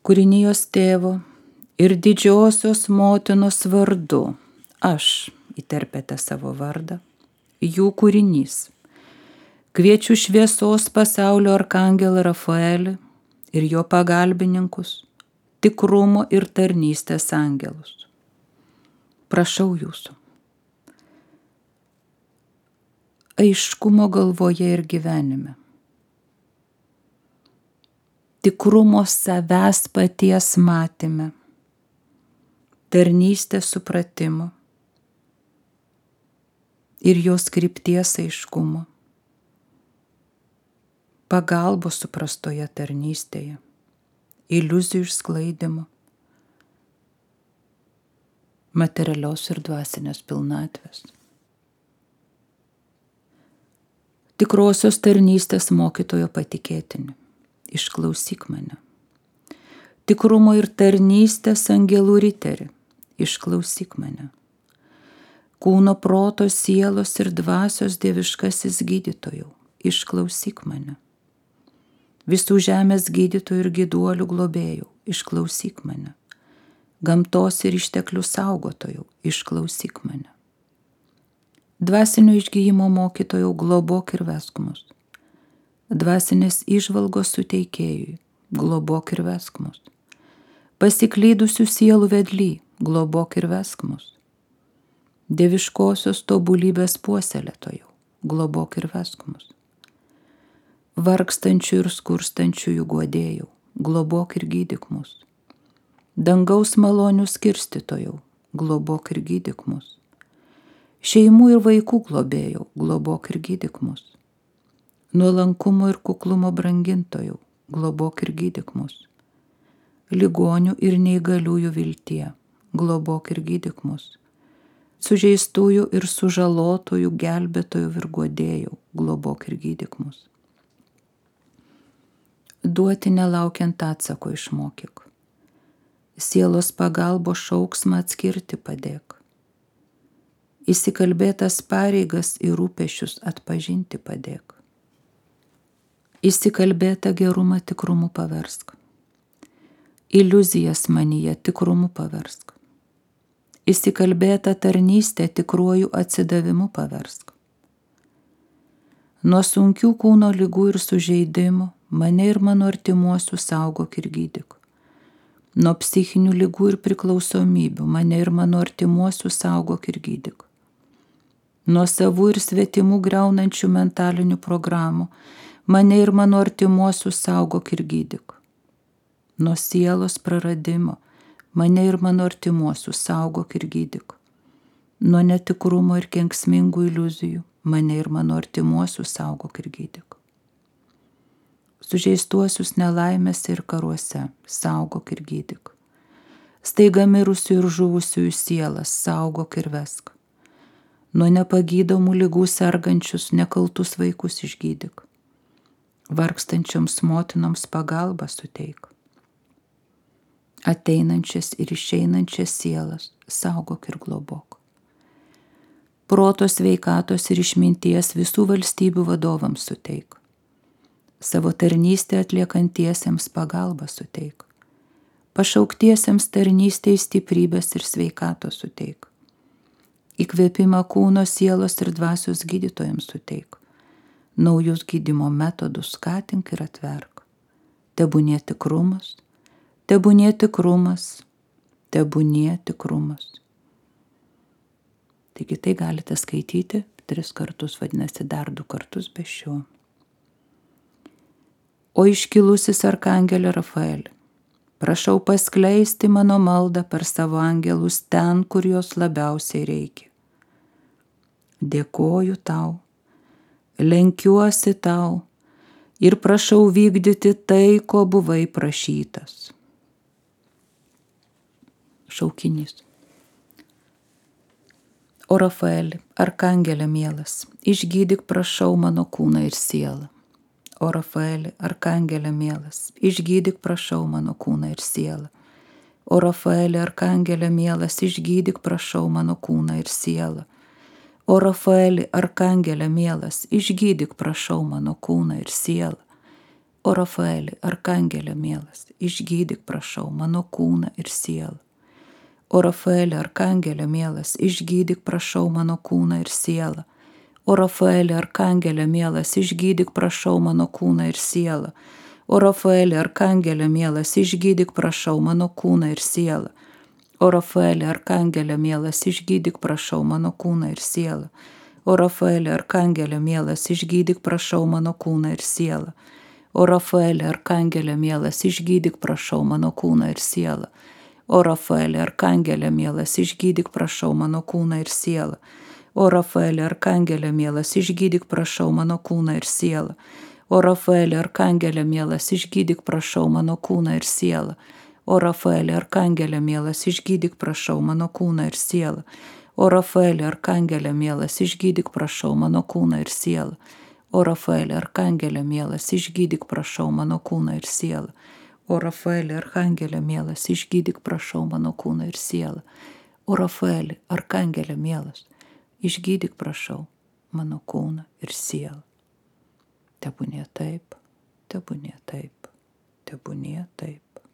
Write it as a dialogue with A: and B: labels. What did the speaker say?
A: kūrinijos tėvo ir didžiosios motinos vardu, aš, įterpėte savo vardą, jų kūrinys. Kviečiu šviesos pasaulio arkangelą Rafaelį ir jo pagalbininkus, tikrumo ir tarnystės angelus. Prašau jūsų. Aiškumo galvoje ir gyvenime. Tikrumo savęs paties matyme. Tarnystės supratimo ir jos krypties aiškumo. Pagalbos suprastoje tarnystėje. Iliuzijų išsklaidimo. Materialios ir dvasinės pilnatvės. Tikrosios tarnystės mokytojo patikėtini, išklausyk mane. Tikrumo ir tarnystės angelų riteri, išklausyk mane. Kūno, proto, sielos ir dvasios dieviškasis gydytojau, išklausyk mane. Visų žemės gydytojų ir gyduolių globėjų, išklausyk mane. Gamtos ir išteklių saugotojų, išklausyk mane. Dvasinio išgyjimo mokytojų globok ir vesk mus. Dvasinės įžvalgos suteikėjui, globok ir vesk mus. Pasiklydusių sielų vedly, globok ir vesk mus. Dieviškosios tobulybės puoselėtojų, globok ir vesk mus. Vargstančių ir skurstančiųjų guodėjų, globok ir gydyk mus. Dangaus malonių skirstytojų, globok ir gydyk mus. Šeimų ir vaikų globėjų, globok ir gydyk mus. Nuolankumo ir kuklumo brangintojų, globok ir gydyk mus. Ligonių ir neįgaliųjų viltie, globok ir gydyk mus. Sužeistųjų ir sužalotųjų gelbėtojų ir guodėjų, globok ir gydyk mus. Duoti nelaukiant atsako išmokyk. Sielos pagalbos šauksmą atskirti padėk. Įsikalbėtas pareigas ir rūpesčius atpažinti padėk. Įsikalbėtą gerumą tikrumu paversk. Iliuzijas manyje tikrumu paversk. Įsikalbėtą tarnystę tikruoju atsidavimu paversk. Nuo sunkių kūno ligų ir sužeidimų mane ir mano artimuosius saugok ir gydyk. Nuo psichinių ligų ir priklausomybių mane ir mano artimuosius saugok ir gydyk. Nuo savų ir svetimų griaunančių mentalinių programų mane ir mano artimuosius saugok ir gydyk. Nuo sielos praradimo mane ir mano artimuosius saugok ir gydyk. Nuo netikrumo ir kenksmingų iliuzijų mane ir mano artimuosius saugok ir gydyk. Sužeistuosius nelaimėse ir karuose saugok ir gydyk. Staiga mirusių ir žuvusiųjų sielas saugok ir vesk. Nuo nepagydomų ligų sergančius nekaltus vaikus išgydyk. Vargstančioms motinoms pagalbą suteik. Ateinančias ir išeinančias sielas saugok ir globok. Proto, sveikatos ir išminties visų valstybių vadovams suteik. Savo tarnystę atliekantiesiems pagalbą suteik. Pašauktiesiems tarnystėj stiprybės ir sveikatos suteik. Įkvėpimą kūno, sielos ir dvasios gydytojams suteik. Naujus gydymo metodus skatink ir atverk. Tebūnie tikrumas, tebūnie tikrumas, tebūnie tikrumas. Taigi tai galite skaityti 3 kartus, vadinasi dar 2 kartus be šio. O iškilusis arkangelė Rafaelį, prašau paskleisti mano maldą per savo angelus ten, kur jos labiausiai reikia. Dėkoju tau, lenkiuosi tau ir prašau vykdyti tai, ko buvai prašytas. Šaukinys. O Rafaeli, arkangelė mielas, išgydyk prašau mano kūną ir sielą. O Rafaeli, arkangelė mielas, išgydyk prašau mano kūną ir sielą. O Rafaeli, arkangelė mielas, išgydyk prašau mano kūną ir sielą. O Rafaeli, arkangelė mielas, išgydyk prašau mano kūną ir sielą. O Rafaeli, arkangelė mielas, išgydyk prašau mano kūną ir sielą. O Rafaeli, arkangelė mielas, išgydyk prašau mano kūną ir sielą. O Rafaeli, arkangelė mielas, išgydyk prašau mano kūną ir sielą. O Rafaeli, arkangelė mielas, išgydyk prašau mano kūną ir sielą. O Rafaeli, arkangelė mielas, išgydyk prašau mano kūną ir sielą. O Rafaeli, arkangelė mielas, išgydyk prašau mano kūną ir sielą. O Rafaeli, arkangelė mielas, išgydyk prašau mano kūną ir sielą. O Rafaeli, arkangelė mielas, išgydyk prašau mano kūną ir sielą. O Rafaeli, arkangelė mielas, išgydyk prašau mano kūną ir sielą. O Rafaeli, arkangelė mielas, išgydyk prašau mano kūną ir sielą. O Rafaeli, arkangelė mielas, išgydyk prašau mano kūną ir sielą. O Rafaeli, arkangelė mielas, išgydyk prašau mano kūną ir sielą. O Rafaeli, arkangelė mielas, išgydyk prašau mano kūną ir sielą. O Rafaeli, arkangelė mielas, išgydyk prašau mano kūną ir sielą. O Rafaeli, arkangelė mielas, išgydyk prašau mano kūną ir sielą. Tebūnie taip, tebūnie taip, tebūnie taip.